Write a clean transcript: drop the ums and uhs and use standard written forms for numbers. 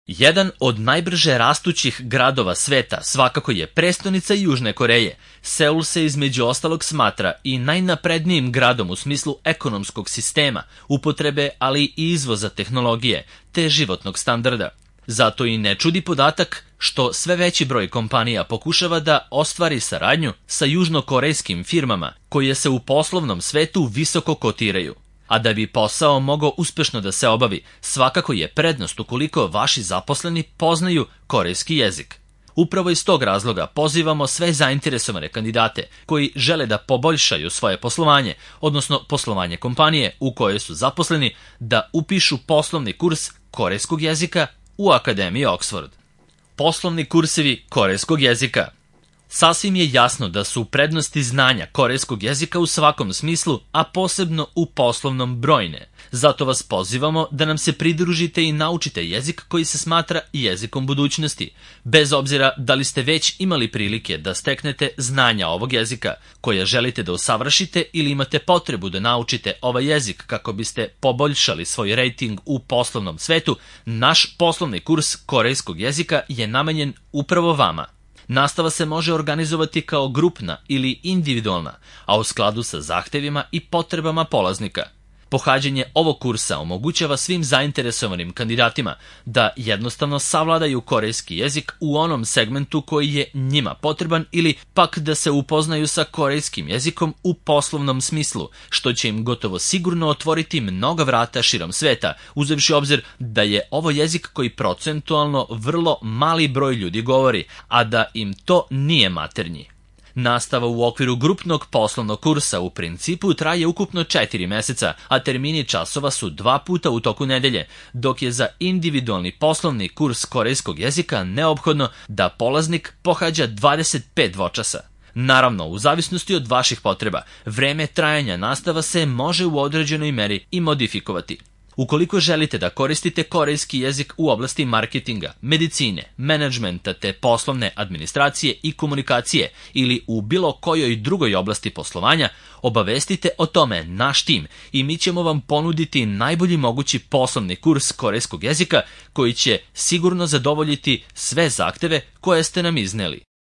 Jedan od najbrže rastućih gradova sveta svakako je prestonica Južne Koreje. Seul se između ostalog smatra i najnaprednijim gradom u smislu ekonomskog sistema, upotrebe, ali i izvoza tehnologije, te životnog standarda. Zato i ne čudi podatak što sve veći broj kompanija pokušava da ostvari saradnju sa južnokorejskim firmama koje se u poslovnom svetu visoko kotiraju. A da bi posao mogao uspešno da se obavi, svakako je prednost ukoliko vaši zaposleni poznaju korejski jezik. Upravo iz tog razloga pozivamo sve zainteresovane kandidate koji žele da poboljšaju svoje poslovanje, odnosno poslovanje kompanije u kojoj su zaposleni, da upišu poslovni kurs korejskog jezika u Akademiji Oxford. Poslovni kursevi korejskog jezika. Sasvim je jasno da su prednosti znanja korejskog jezika u svakom smislu, a posebno u poslovnom brojne. Zato vas pozivamo da nam se pridružite i naučite jezik koji se smatra jezikom budućnosti, bez obzira da li ste već imali prilike da steknete znanja ovog jezika, koje želite da usavršite ili imate potrebu da naučite ovaj jezik kako biste poboljšali svoj rejting u poslovnom svetu. Naš poslovni kurs korejskog jezika je namenjen upravo vama. Nastava se može organizovati kao grupna ili individualna, a u skladu sa zahtevima i potrebama polaznika. Pohađanje ovog kursa omogućava svim zainteresovanim kandidatima da jednostavno savladaju korejski jezik u onom segmentu koji je njima potreban ili pak da se upoznaju sa korejskim jezikom u poslovnom smislu, što će im gotovo sigurno otvoriti mnoga vrata širom sveta, uzevši obzir da je ovo jezik koji procentualno vrlo mali broj ljudi govori, a da im to nije maternji. Nastava u okviru grupnog poslovnog kursa u principu traje ukupno 4 meseca, a termini časova su 2 puta u toku nedelje, dok je za individualni poslovni kurs korejskog jezika neophodno da polaznik pohađa 25 dvočasa. Naravno, u zavisnosti od vaših potreba, vreme trajanja nastava se može u određenoj meri i modifikovati. Ukoliko želite da koristite korejski jezik u oblasti marketinga, medicine, menadžmenta te poslovne administracije i komunikacije ili u bilo kojoj drugoj oblasti poslovanja, obavestite o tome naš tim i mi ćemo vam ponuditi najbolji mogući poslovni kurs korejskog jezika koji će sigurno zadovoljiti sve zahteve koje ste nam izneli.